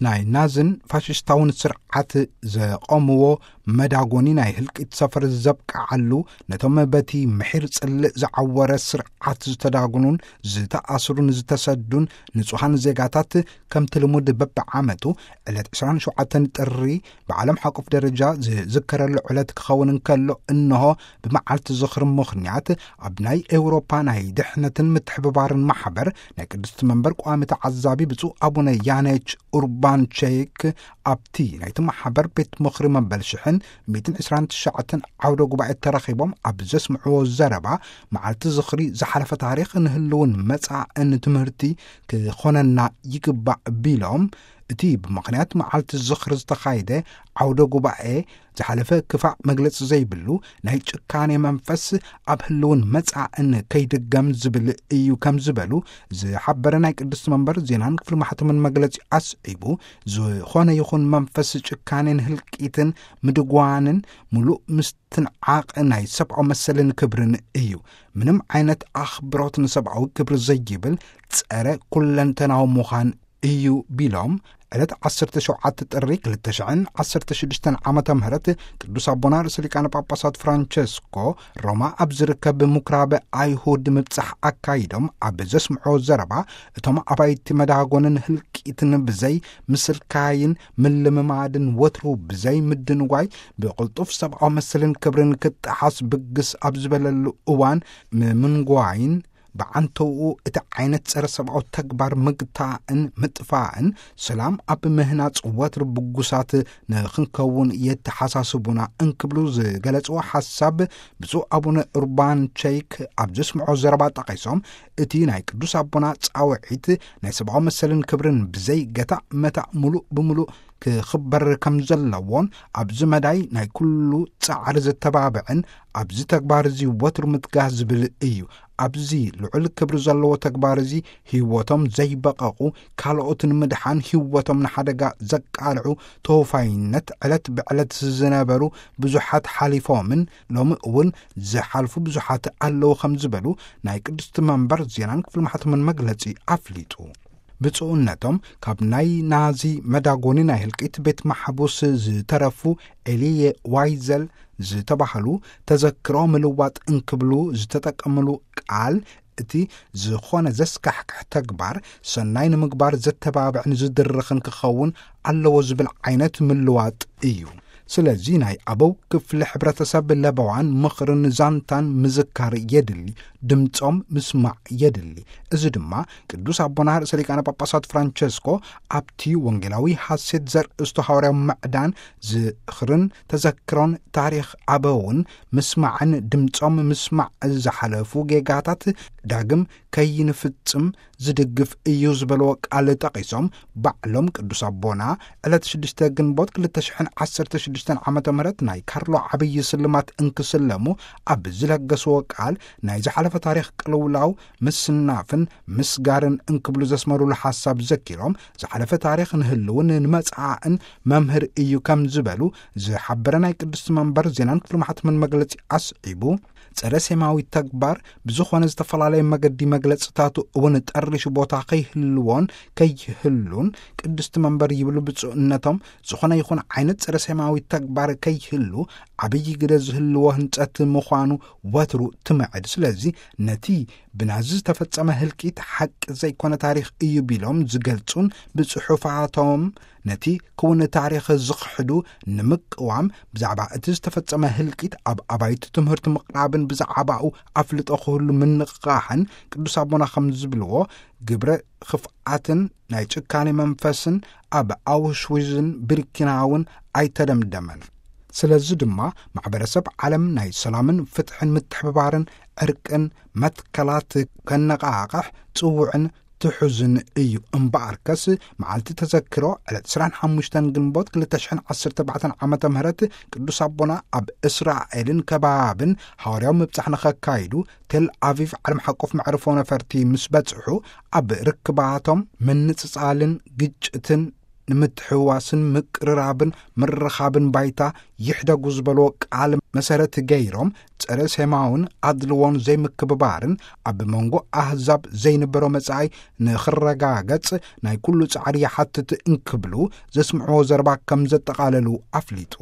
ናይ ናዝን ፋሽስታውን ስርዓት ዘቐምዎ መዳጎኒ ናይ ህልቂት ሰፈር ዘብቅዓሉ፣ ነቶም በቲ ምሒር ጽልእ ዝዓወረ ስርዓት ዝተዳጉኑን ዝተኣስሩን ዝተሰዱን ንጹሃን ዜጋታት፣ ከምቲ ልሙድ በብዓመቱ ዕለት ዕስራን ሸውዓተን ጥሪ ብዓለም ሓቆፍ ደረጃ ዝዝከረሉ ዕለት ክኸውን እንከሎ፣ እንሆ ብመዓልቲ ዝኽሪ ምኽንያት ኣብ ናይ ኤውሮፓ ናይ ድሕነትን ምትሕብባርን ማሕበር ናይ ቅድስቲ መንበር ቋሚ ተዓዛቢ ብፁዕ ኣቡነ ያነች ኡርባን ቼክ ኣብቲ ናይቲ ማሕበር ቤት ምኽሪ መበል ሽሕን ሚእትን ዕስራን ትሽዓተን ዓውደ ጉባኤ ተረኺቦም ኣብ ዘስምዕዎ ዘረባ፣ መዓልቲ ዝኽሪ ዝሓለፈ ታሪኽ ንህልውን መጻእን ትምህርቲ ክኾነና ይግባእ ቢሎም፣ እቲ ብምኽንያት መዓልቲ ዝኽሪ ዝተኻየደ ዓውደ ጉባኤ ዝሓለፈ ክፋእ መግለጺ ዘይብሉ ናይ ጭካኔ መንፈስ ኣብ ህልውን መጻእን ከይድገም ዝብል እዩ ከም ዝበሉ ዝሓበረ ናይ ቅድስቲ መንበር ዜናን ክፍሊ ማሕተምን መግለጺ ኣስዒቡ፣ ዝኾነ ይኹን መንፈስ ጭካኔን ህልቂትን ምድጓንን ምሉእ ምስትንዓቕ ናይ ሰብኣዊ መሰልን ክብርን እዩ። ምንም ዓይነት ኣኽብሮት ንሰብኣዊ ክብሪ ዘይብል ጸረ ኩለንተናዊ ምዃን እዩ ቢሎም፣ ዕለት ዓሰርተ ሸውዓተ ጥሪ ክልተ ሽሕን ዓሰርተ ሽዱሽተን ዓመተ ምህረት ቅዱስ ኣቦና ርእሰ ሊቃነ ጳጳሳት ፍራንቸስኮ ሮማ ኣብ ዝርከብ ምኩራብ ኣይሁድ ምብጻሕ ኣካይዶም ኣብ ዘስምዖ ዘረባ፣ እቶም ኣባይቲ መዳጎንን ህልቂትን ብዘይ ምስልካይን ምልምማድን ወትሩ ብዘይ ምድንጓይ ብቕልጡፍ ሰብኣዊ መሰልን ክብርን ክጠሓስ ብግስ ኣብ ዝበለሉ እዋን ምምንጓይን ብዓንተውኡ እቲ ዓይነት ጸረ ሰብኣዊ ተግባር ምግታእን ምጥፋእን ሰላም ኣብ ምህናጽ ወትሩ ብጉሳት ንኽንከውን የተሓሳስቡና እንክብሉ ዝገለጽዎ ሓሳብ ብፁዕ ኣቡነ ኡርባን ቸይክ ኣብ ዘስምዖ ዘረባ ጠቒሶም፣ እቲ ናይ ቅዱስ ኣቦና ጻውዒት ናይ ሰብኣዊ መሰልን ክብርን ብዘይ ገታእ መታእ ምሉእ ብምሉእ ክኽበር ከም ዘለዎን ኣብዚ መዳይ ናይ ኩሉ ጻዕሪ ዘተባብዕን ኣብዚ ተግባር እዚ ወትሩ ምትጋህ ዝብል እዩ። ኣብዚ ልዑል ክብሪ ዘለዎ ተግባር እዚ ህይወቶም ዘይበቐቑ፣ ካልኦት ንምድሓን ህይወቶም ንሓደጋ ዘቃልዑ ተወፋይነት ዕለት ብዕለት ዝነበሩ ብዙሓት ሓሊፎምን ሎሚ እውን ዝሓልፉ ብዙሓት ኣለዉ ከም ዝበሉ ናይ ቅድስቲ መንበር ዜናን ክፍሊ ማሕተምን መግለጺ ኣፍሊጡ። ብፁዕነቶም ካብ ናይ ናዚ መዳጎኒ ናይ ህልቂት ቤት ማሕቡስ ዝተረፉ ኤልየ ዋይዘል ዝተባህሉ ተዘክሮ ምልዋጥ እንክብሉ ዝተጠቀምሉ ቃል፣ እቲ ዝኾነ ዘስካሕክሕ ተግባር ሰናይ ንምግባር ዘተባብዕን ዝድርኽን ክኸውን ኣለዎ ዝብል ዓይነት ምልዋጥ እዩ። ስለዚ ናይ ኣበው ክፍሊ ሕብረተሰብ ለበዋን ምኽርን ዛንታን ምዝካር የድሊ፣ ድምጾም ምስማዕ የድሊ። እዚ ድማ ቅዱስ ኣቦና ርእሰ ሊቃነ ጳጳሳት ፍራንቸስኮ ኣብቲ ወንጌላዊ ሐሴት ዘርእስቱ ሃዋርያዊ ምዕዳን ዝኽርን ተዘክሮን ታሪኽ ኣበውን ምስማዕን ድምጾም ምስማዕ ዝሓለፉ ጌጋታት ዳግም ከይንፍጽም ዝድግፍ እዩ ዝበልዎ ቃል ጠቒሶም፣ ባዕሎም ቅዱስ ኣቦና ዕለት ሽዱሽተ ግንቦት ክልተ ሽሕን ዓሰርተ ሽዱሽተን ዓመተ ምህረት ናይ ካርሎ ዓብዪ ስልማት እንክስለሙ ኣብ ዝለገስዎ ቃል፣ ናይ ዝሓለፈ ታሪኽ ቅልውላው፣ ምስናፍን ምስጋርን እንክብሉ ዘስመሩሉ ሓሳብ ዘኪሮም፣ ዝሓለፈ ታሪኽ ንህልውን ንመጻእን መምህር እዩ ከም ዝበሉ ዝሓበረ ናይ ቅድስቲ መንበር ዜናን ክፍሊ ማሕተምን መግለጺ ኣስዒቡ፣ ጸረ ሴማዊ ተግባር ብዝኾነ ዝተፈላለየ መገዲ መግለጽታቱ እውን ጠሪሹ ቦታ ከይህልዎን ከይህሉን ቅድስቲ መንበር ይብሉ ብፁዕነቶም፣ ዝኾነ ይኹን ዓይነት ጸረ ሴማዊ ተግባር ከይህሉ ዓብዪ ግደ ዝህልዎ ህንጸት ምዃኑ ወትሩ ትምዕድ። ስለዚ ነቲ ብናዚ ዝተፈጸመ ህልቂት ሓቂ ዘይኮነ ታሪኽ እዩ ቢሎም ዝገልጹን ብጽሑፋቶም ነቲ ክውን ታሪኽ ዝኽሕዱ ንምቅዋም ብዛዕባ እቲ ዝተፈጸመ ህልቂት ኣብ ኣባይቲ ትምህርቲ ምቕራብን ብዛዕባኡ ኣፍልጦ ክህሉ ምንቕቓሕን ቅዱስ ኣቦና ከም ዝብልዎ ግብረ ክፍኣትን ናይ ጭካኔ መንፈስን ኣብ ኣውሽዊዝን ብርኪናውን ኣይተደምደመን። ስለዚ ድማ ማሕበረሰብ ዓለም ናይ ሰላምን ፍትሕን ምትሕብባርን ዕርቅን መትከላት ከነቓቕሕ ጽውዕን ትሑዝን እዩ። እምበኣርከስ መዓልቲ ተዘክሮ ዕለት ዕስራን ሓሙሽተን ግንቦት ክልተ ሽሕን ዓሰርተ ኣርባዕተን ዓመተ ምህረት ቅዱስ ኣቦና ኣብ እስራኤልን ከባብን ሃዋርያዊ ምብጻሕ ንኸካይዱ ቴል ኣቪቭ ዓለም ሓቆፍ መዕርፎ ነፈርቲ ምስ በጽሑ ኣብ ርክባቶም ምንጽጻልን ግጭትን ንምትሕውዋስን ምቅርራብን ምርኻብን ባይታ ይሕደጉ ዝበልዎ ቃል መሰረት ገይሮም፣ ጸረ ሴማውን ኣድልዎን ዘይምክብባርን ኣብ መንጎ ኣህዛብ ዘይንበሮ መጻኢ ንኽረጋገጽ ናይ ኩሉ ጻዕሪ ይሓትት እንክብሉ ዘስምዕዎ ዘረባ ከም ዘጠቓለሉ ኣፍሊጡ።